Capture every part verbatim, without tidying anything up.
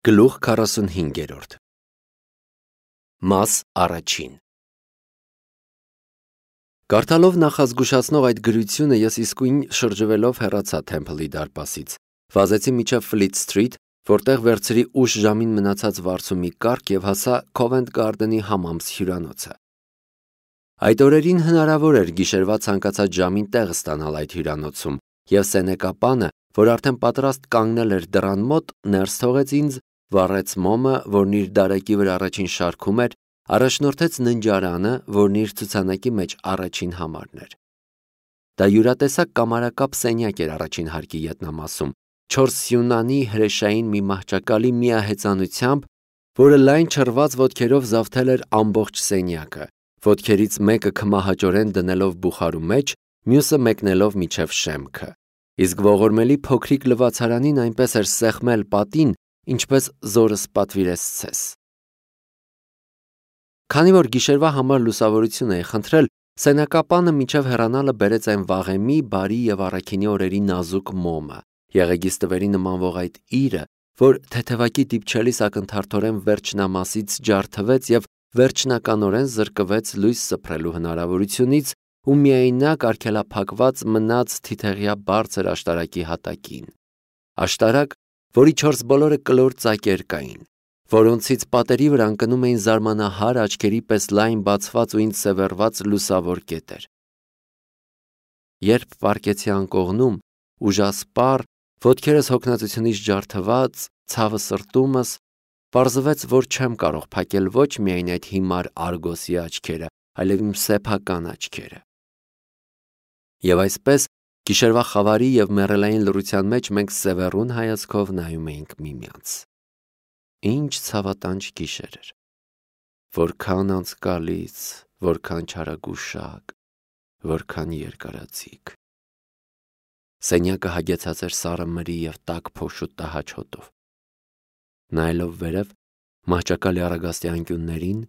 Գլուխ քառասունհինգերորդ Մաս առաջին Կարդալով նախազգուշացնող այդ գրությունը ես իսկույն շրջվելով հեռացա Թեմփլի դարպասից, վազեցի մինչև Ֆլիթ Սթրիթ, որտեղ վերցրի ուշ ժամին մնացած վարձու մի կառք և հասա Քովենթ Գարդենի համամս հյուրանոցը։ Այդ օրերին հնարավոր էր գիշերվա ցանկացած ժամին տեղ ստանալ այդ հյուրանոցում, և Սենեկա որ արդեն պատրաստ կանգնել էր դռան մոտ, ներս թողեց ինձ, վառեց մոմը, որն իր դարակի վրա առաջին շարքում էր, առաջնորդեց ննջարանը, որն իր ցուցանակի մեջ առաջին համարն էր։ Դա յուրատեսակ կամարակապ սենյակ էր առաջին հարկի ետնամասում, չորս սյունանի հրեշային մի մահճակալի միահեծանությամբ, որը լայն չռված ոտքերով զավթել էր ամբողջ սենյակը, ոտքերից մեկը քմահաճորեն դնելով բուխարու մեջ, մյուսը մեկնելով մինչև շեմքը, իսկ ողորմելի փոքրիկ լվացարանին այնպես էր սեղմել պատին, ինչպես զորս պատվիրեց ցես։ Քանի որ գիշերվա համար լուսավորություն էի խնդրել, Սենեկա մինչև հեռանալը բերեց այն վաղեմի, բարի և առաքինի օրերի նազուկ մոմը, եղեգիս տվերի նմանվող այդ իրը, որ թեթևակի դիպչելիս ակնթարթորեն վերջնամասից ջարդվեց և վերջնականորեն զրկվեց լույս սփռելու հնարավորությունից ու միայնակ արգելափակված մնաց թիթեղյա բարձր աշտարակի հատակին, աշտարակ, որի չորս բոլորը կլոր ծակեր կային, որոնցից պատերի վրա ընկնում էին զարմանահար աչքերի պես լայն բացված ու ինձ սևեռված լուսավոր կետեր։ Երբ պառկեցի անկողնում, ուժասպառ, ոտքերս հոգնածությունից ջարդված, ցավը սրտումս, պարզվեց, որ չեմ կարող փակել ոչ միայն այդ հիմար արգոսի աչքերը, այլև իմ սեփական աչքերը։ Եվ այսպես, գիշերվա խավարի և մեռելային լռության մեջ մենք սևեռուն հայացքով նայում էինք միմյանց։ Ինչ ցավատանջ գիշեր էր, որքան անցկալից, որքան չարագուշակ, որքան երկարաձիգ։ Սենյակը հագեցած էր սառը մրի և տաք փոշու տհաճ հոտով։ Նայելով վերև, մահճակալի առագաստի անկյուններին,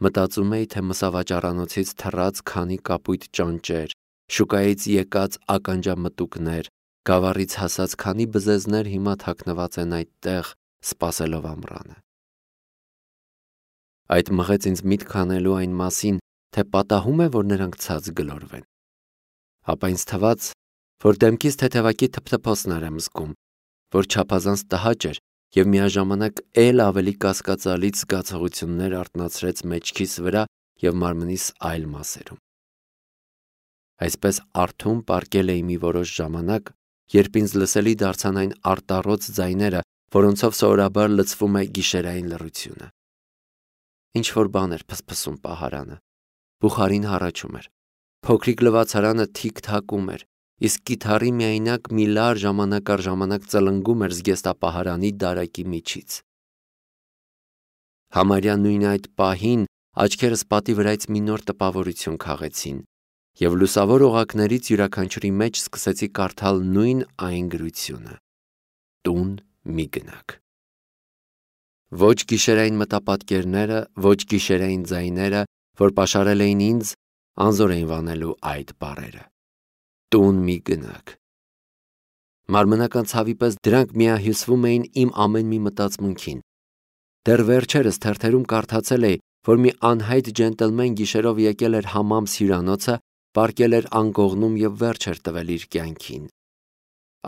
մտածում էի, թե մսավաճառանոցից թռած քանի կապույտ ճանճեր, շուկայից եկած ականջամտուկներ, գավառից հասած քանի բզեզներ հիմա թաքնված են այդտեղ, սպասելով ամռանը։ Այդ մղեց ինձ միտք անելու այն մասին, թե պատահում է, որ նրանք ցած գլորվեն։ Ապա ինձ թվաց, որ դեմքիս թեթևակի թփթփոցներ եմ զգում, որ չափազանց տհաճ էր և միաժամանակ էլ ավելի կասկածալից զգացողություններ արթնացրեց մեջքիս վրա և մարմնիս այլ մասերում։ Այսպես արթուն պառկել էի մի որոշ ժամանակ, երբ ինձ լսելի դարձան այն արտառոց ձայները, որոնցով սովորաբար լցվում է գիշերային լռությունը։ Ինչ-որ բան էր փսփսում պահարանը, բուխարին հառաչում էր, փոքրիկ լվացարանը թիք-թակում էր, իսկ կիթառի միայնակ մի լար ժամանակ առ ժամանակ ծլնգում էր զգեստապահարանի դարակի միջից։ Համարյա նույն այդ պահին աչքերս պատի վրայից մի նոր տպավորություն քաղեցին, և լուսավոր օղակներից յուրաքանչյուրի մեջ սկսեցի կարդալ նույն այն գրությունը. «Տուն մի գնաք»։ Ոչ գիշերային մտապատկերները, ոչ գիշերային ձայները, որ պաշարել էին ինձ, անզոր էին վանելու այդ բառերը։ Տուն մի գնաք։ Մարմնական ցավի պես դրանք միահյուսվում էին իմ ամեն մի մտածմունքին։ Դեռ վերջերս թերթերում կարդացել էի, որ մի անհայտ ջենտլմեն գիշերով եկել էր համամս հյուրանոցը, պառկել էր անկողնում և վերջ էր տվել իր կյանքին։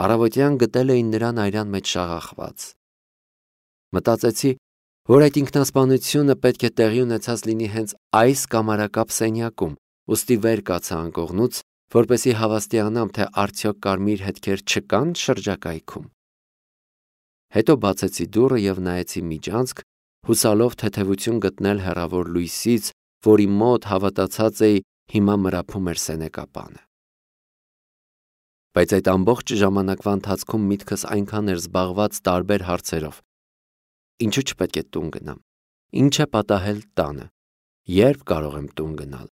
Առավոտյան գտել էին նրան այրան մեջ շաղախված։ Մտածեցի, որ այդ ինքնասպանությունը պետք է տեղի ունեցած լինի հենց այս կամարակապ սենյակում, ուստի վեր կացա անկողնուց, որպեսզի հավաստիանամ, թե արդյոք կարմիր հետքեր չկան շրջակայքում։ Հետո բացեցի դուռը և նայեցի միջանցք, հուսալով թեթևություն գտնել հեռավոր լույսից, որի մոտ հավատացած էի հիմա մրափում էր Սենեկա։ Բայց այդ ամբողջ ժամանակվա ընթացքում միտքս այնքան էր զբաղված տարբեր հարցերով. ինչու չպետք է տուն գնամ, ինչ է պատահել տանը, երբ կարող եմ տուն գնալ,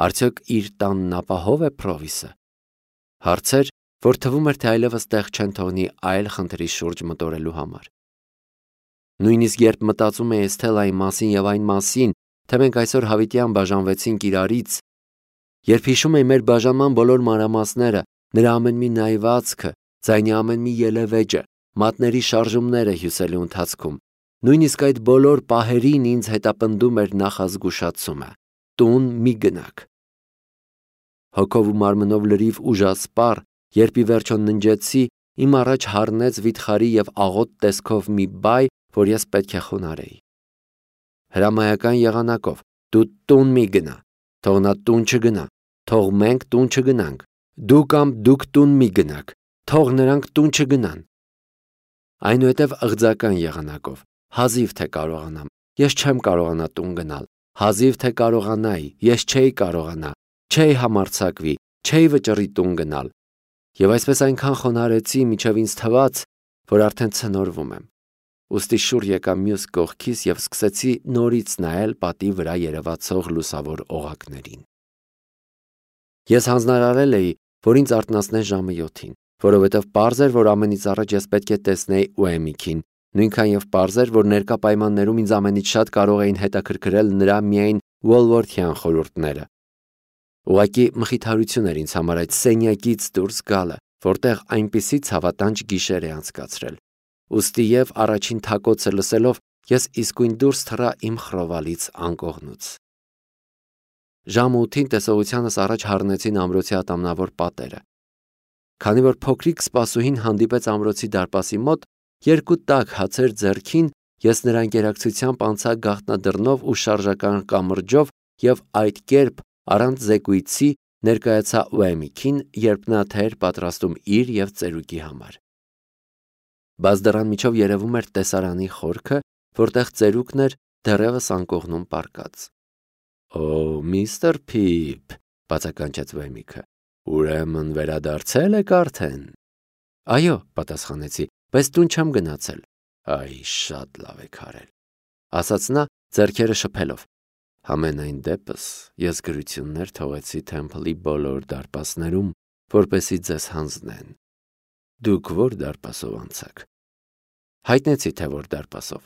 արդյոք իր տանն ապահով է Փրովիսը, հարցեր, որ թվում էր, թե այլևս տեղ չեն թողնի այլ խնդրի շուրջ մտորելու համար։ Նույնիսկ երբ մտածում էի Էսթելայի մասին և այն մասին, թե մենք այսօր հավիտյան բաժանվեցինք իրարից, երբ հիշում էի մեր բաժանման բոլոր մանրամասները, նրա ամեն մի նայվածքը, ձայնի ամեն մի ելևէջը, մատների շարժումները հյուսելու ընթացքում, Նույնիսկ այդ բոլոր պահերին ինձ հետապնդում էր նախազգուշացումը. տուն մի գնաք։ Հոգով ու մարմնով լրիվ ուժասպառ, երբ ի վերջո ննջեցի, իմ առաջ հառնեց վիթխարի և աղոտ տեսքով մի բայ, որ ես պետք է խոնարհեի։ Հրամայական եղանակով, դու տուն մի գնա, թող նա տուն չգնա, թող մենք տուն չգնանք, դու կամ դուք տուն մի գնաք, թող նրանք տուն չգնան։ Այնուհետև ըղձական եղանակով, հազիվ թե կարողանամ, ես չեմ կարողանա տուն գնալ, հազիվ թե կարողանայի, ես չէի կարողանա, չէի համարձակվի, չէի վճռի տուն գնալ։ Եվ այսպես այնքան խոնարհեցի, մինչև ինձ թվաց, որ արդեն ցնորվում եմ։ Ուստի շուռ եկա մյուս կողքիս և սկսեցի նորից նայել պատի վրա երևացող լուսավոր օղակներին։ Ես հանձնարարել էի, որ ինձ արթնացնեն ժամը յոթին, որովհետև պարզ էր, որ ամենից առաջ ես պետք է տեսնեի Ուեմիքին, նույնքան և պարզ էր, որ ներկա պայմաններում ինձ ամենից շատ կարող էին հետաքրքրել նրա միայն Ուոլվորթյան խորհուրդները։ Ուղղակի մխիթարություն էր ինձ համար այդ սենյակից դուրս գալը, որտեղ այնպիսի ցավատանջ գիշեր է անցկացրել։ Ուստի և առաջին թակոցը լսելով ես իսկույն դուրս թռա իմ խռովալից անկողնուց։ Ժամը ութին տեսողությանս առաջ հառնեցին ամրոցի ատամնավոր պատերը։ Քանի որ փոքրիկ սպասուհին հանդիպեց ամրոցի դարպասի մոտ, երկու տաք հացեր ձեռքին, ես նրա ընկերակցությամբ անցա գաղտնադռնով ու շարժական կամրջով և այդ կերպ առանց զեկույցի ներկայացա Ուեմիքին, երբ նա թե էր պատրաստում իր և ծերուկի համար։ Բաց դռան միջով երևում էր տեսարանի խորքը, որտեղ ծերուկն էր դեռևս անկողնում պառկած։ «Օ, միստր Փիփ», բացականչեց Ուեմիքը, «ուրեմն վերադարձել եք արդեն»։ «Այո», պատասխանեցի, «բայց տուն չեմ գնացել»։ «Այ, շատ լավ եք արել», ասաց նա ձեռքերը շփելով։ «Համենայն դեպս ես գրություններ թողեցի Թեմփլի բոլոր դարպասներում, որպեսզի ձեզ հանձնեն։ Դուք ո՞ր դարպասով անցաք»։ Հայտնեցի, թե որ դարպասով։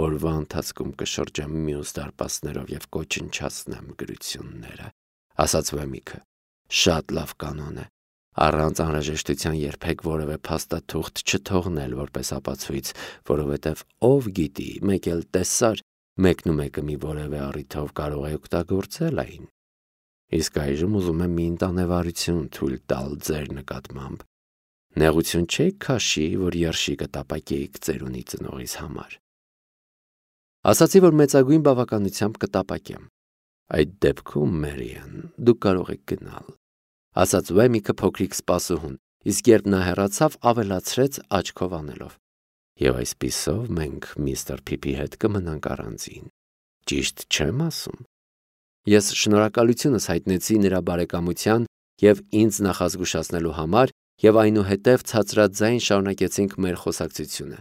«Օրվա ընթացքում կշրջեմ մյուս դարպասներով և կոչնչացնեմ գրությունները», ասաց Ուեմիքը։ «Շատ լավ կանոն է, առանց անհրաժեշտության երբեք որևէ փաստաթուղթ չթողնել որպես ապացույց, որովհետև ով գիտի, մեկ էլ տեսար, մեկնումեկը մի որևէ առիթով կարող է օգտագործել այն։ Իսկ այժմ ուզում եմ մի ընտանեվարություն թույլ տալ ձեր նկատմամբ։ Նեղություն չեք քաշի, որ երշիկը տապակեիք ծերունի ծնողիս համար»։ Ասացի, որ մեծագույն բավականությամբ կտապակեմ։ «Այդ դեպքում, Մերիան, դուք կարող եք գնալ», ասաց Ուեմիքը փոքրիկ սպասուհուն, իսկ երբ նա հեռացավ, ավելացրեց աչքով անելով. «Եվ այսպիսով մենք միստր Փիփի հետ կմնանք առանձին։ Ճիշտ չեմ ասում»։ Ես շնորհակալությունս հայտնեցի նրա բարեկամության և ինձ նախազգուշացնելու համար և այնուհետև ցածրաձայն շարունակեցինք մեր խոսակցությունը։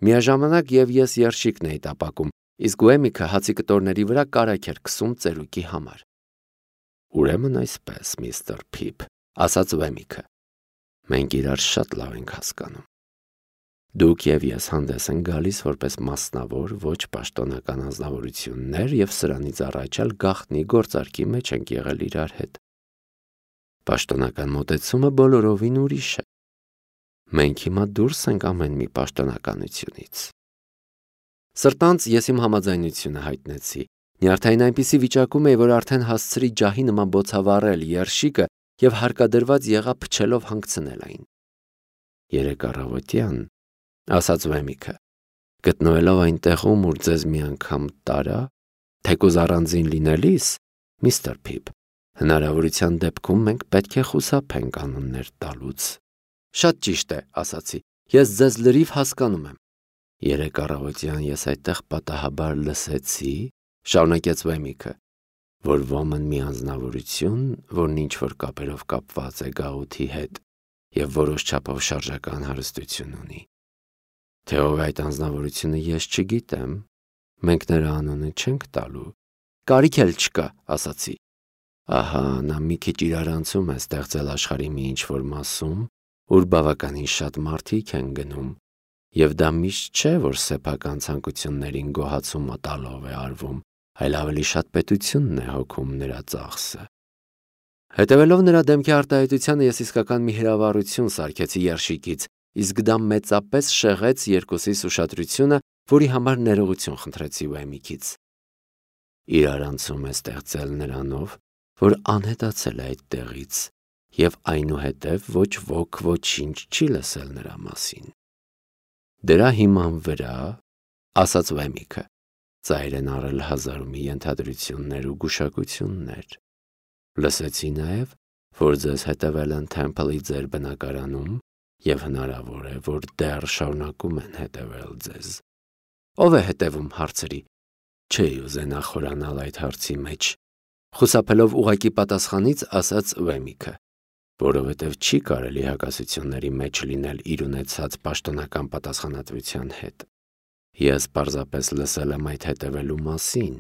Միաժամանակ և ես երշիկն էի տապակում, իսկ Ուեմիքը հացի կտորների վրա կարագ էր քսում ծերուկի համար։ «Ուրեմն այսպես, միստր Փիփ», ասաց Ուեմիքը, «մենք իրար շատ լավ ենք հասկանում։ Դուք և ես հանդես ենք գալիս որպես մասնավոր, ոչ պաշտոնական անձնավորություններ և սրանից առաջ էլ գաղտնի գործարքի մեջ ենք եղել իրար հետ։ Պաշտոնական մոտեցումը բոլորովին ուրիշ է։ Մենք հիմա դուրս ենք ամեն մի պաշտոնականությունից»։ Սրտանց ես իմ համաձայնությունը հայտնեցի։ Նյարդային այնպիսի վիճակում էի, որ արդեն հասցրի ջահի նման բոցավառել երշիկը և հարկադրված եղա փչելով հանգցնել այն։ «Երեկ առավոտյան», ասաց Ուեմիքը, «գտնվելով այնտեղում, ուր ձեզ մի անգամ տարա, թեկուզ առանձին լինելիս, միստր Փիփ, հնարավորության դեպքում մենք պետք է խուսափենք անուններ տալուց»։ «Շատ ճիշտ է», ասացի, «ես ձեզ լրիվ հասկանում եմ»։ «Երեկ առավոտյան ես այդտեղ պատահաբար լսեցի», շարունակեց Ուեմիքը, «որ ոմն մի անձնավորություն, որն ինչ-որ կապերով կապված է գաղութի հետ և որոշ չափով շարժական հարստություն ունի։ Թե ով է այդ անձնավորությունը, ես չգիտեմ, մենք նրա անունը չենք տալու»։ «Կարիք էլ չկա», ասացի։ «Ահա, նա մի քիչ իրարանցում է ստեղծել աշխարհի մի ինչ-որ մասում, ուր բավականին շատ մարդիկ են գնում, և դա միշտ չէ, որ սեփական ցանկություններին գոհացում տալով է արվում, այլ ավելի շատ պետությունն է հոգում նրա ծախսը»։ Հետևելով նրա դեմքի արտահայտությանը ես իսկական մի հրավառություն սարքեցի երշիկից, իսկ դա մեծապես շեղեց երկուսիս ուշադրությունը որի համար ներողություն խնդրեցի Ուեմիքից։ Իրար անցում է ստեղծել նրանով, որ անհետացել է այդ տեղից, և այնուհետև ոչ ոք ոչինչ չի լսել նրա մասին։ Դրա հիման վրա, ասաց Ուեմիքը, ծայր են առել հազար ու մի ենթադրություններ ու գուշակություններ։ Լսեցի նաև, որ ձեզ հետևել են Թեմփլի ձեր բնակարանում և հնարավոր է, որ դեռ շարունակում են հետևել ձեզ։ Ո՞վ է հետևում, հարցրի։ Չէի ուզենա խորանալ այդ հարցի մեջ։ Խուսափելով ուղղակի պատասխանից, ասաց Ուեմիքը, որովհետև չի կարելի հակասությունների մեջ լինել իր ունեցած պաշտոնական պատասխանատվության հետ։ Ես պարզապես լսել եմ այդ հետևելու մասին,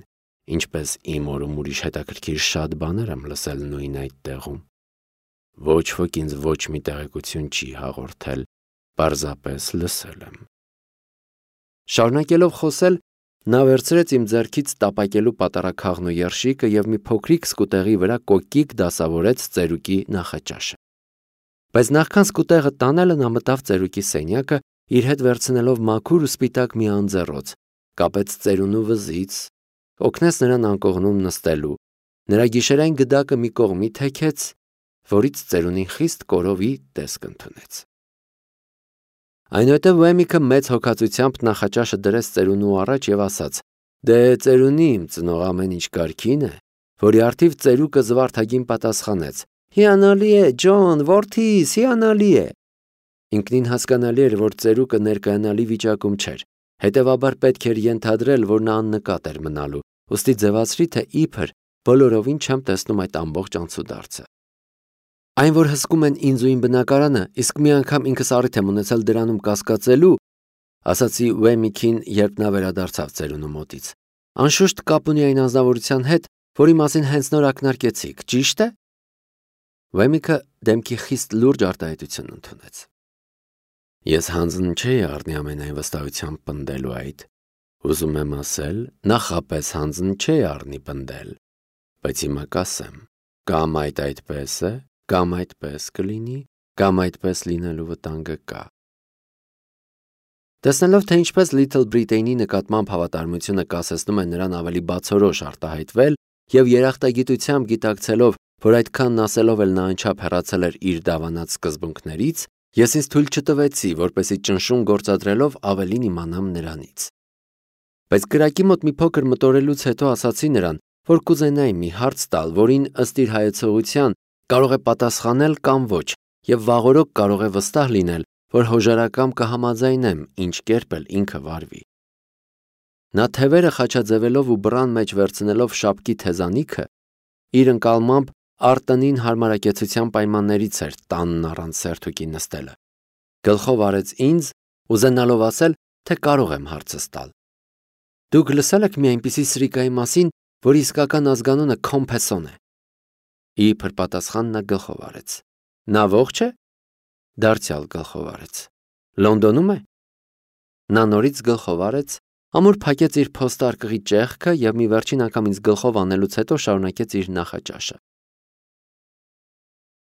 ինչպես իմ օրում ուրիշ հետաքրքիր շատ բաներ եմ լսել նույն այդ տեղում։ Ոչ ոք ինձ ոչ մի տեղեկություն չի հաղորդել, պարզապես լսել եմ։ Շարունակելով խոսել, նա վերցրեց իմ ձեռքից տապակելու պատարագ ու երշիկը և մի փոքրիկ սկուտեղի վրա կոկիկ դասավորեց ծերուկի նախաճաշը։ Բայց նախքան սկուտեղը տանելը նա մտավ ծերուկի սենյակը, իր հետ վերցնելով մաքուր ու սպիտակ մի անձեռոց, կապեց ծերունու վզից, օգնեց նրան անկողնում նստելու, նրա գիշերային գդակը մի կողմի թեքեց, որից ծերունին խիստ կորովի տեսք ընդունեց։ Այնուհետև Ուեմիքը մեծ հոգածությամբ նախաճաշը դրեց ծերունու առաջ և ասաց. «Դե ծերունի իմ ծնող ամեն ինչ կարգին է», որի առթիվ ծերուկը զվարթագին պատասխանեց. «Հիանալի է, Ջոն, որդիս, հիանալի է»։ Ինքնին հասկանալի էր, որ ծերուկը ներկայանալի վիճակում չէր, հետևաբար պետք էր ենթադրել, որ նա աննկատ էր մնալու, ուստի ձևացրի, թե իբր բոլորովին չեմ տեսնում այդ ամբողջ անցուդարձը։ Այն, որ հսկում են ինձ ու իմ բնակարանը, իսկ մի անգամ ինքս առիթ եմ ունեցել դրանում կասկածելու, ասացի Ուեմիքին, երբ նա վերադարձավ ծերունու մոտից, անշուշտ կապ ունի այն անձնավորության հետ, որի մասին հենց նոր ակնարկեցիք, ճի՞շտ է։ Ուեմիքը դեմքի խիստ լուրջ արտահայտություն ընդունեց։ Ես հանձն չէի առնի ամենայն վստահությամբ պնդելու այդ, ուզում եմ ասել, նախապես հանձն չէի առնի պնդել, բայց հիմա կասեմ, կամ այդ այդպես է, կամ այդպես կլինի, կամ այդպես լինելու վտանգը կա։ Տեսնելով, թե ինչպես Little Britain-ի նկատմամբ հավատարմությունը կասեցնում է նրան ավելի բացորոշ արտահայտվել և երախտագիտությամբ գիտակցելով, որ այդքանն ասելով էլ նա անչափ հեռացել էր իր դավանած սկզբունքներից, ես ինձ թույլ չտվեցի, որպեսզի ճնշում գործադրելով ավելին իմանամ նրանից։ Բայց կրակի մոտ մի փոքր մտորելուց հետո ասացի նրան, որ կուզենայի մի հարց տալ, որին ըստ իր հայեցողության կարող է պատասխանել կամ ոչ, և վաղօրոք կարող է վստահ լինել, որ հոժարակամ կհամաձայնեմ, ինչ կերպ էլ ինքը վարվի։ Նա թևերը խաչաձևելով ու բռան մեջ վերցնելով շապկի թեզանիքը, իր ընկալմամբ արտտնին հարմարակեցության պայմաններից էր տանն առանց սերթուկի նստելը։ Գլխով արեց ինձ, ուզենալով ասել, թե կարող եմ հարցս տալ։ Դուք լսել եք մի այնպիսի սրիկայի մասին, որի իսկական ազգանունը Քոմփեսոն է։ Իբր պատասխան նա գլխով արեց։ Նա ողջ է։ Դարձյալ գլխով արեց։ Լոնդոնում է։ Նա նորից գլխով արեց, ամուր փակեց իր փոստարկղի ճեղքը և մի վերջին անգամ ինձ գլխով անելուց հետո շարունակեց իր նախաճաշը։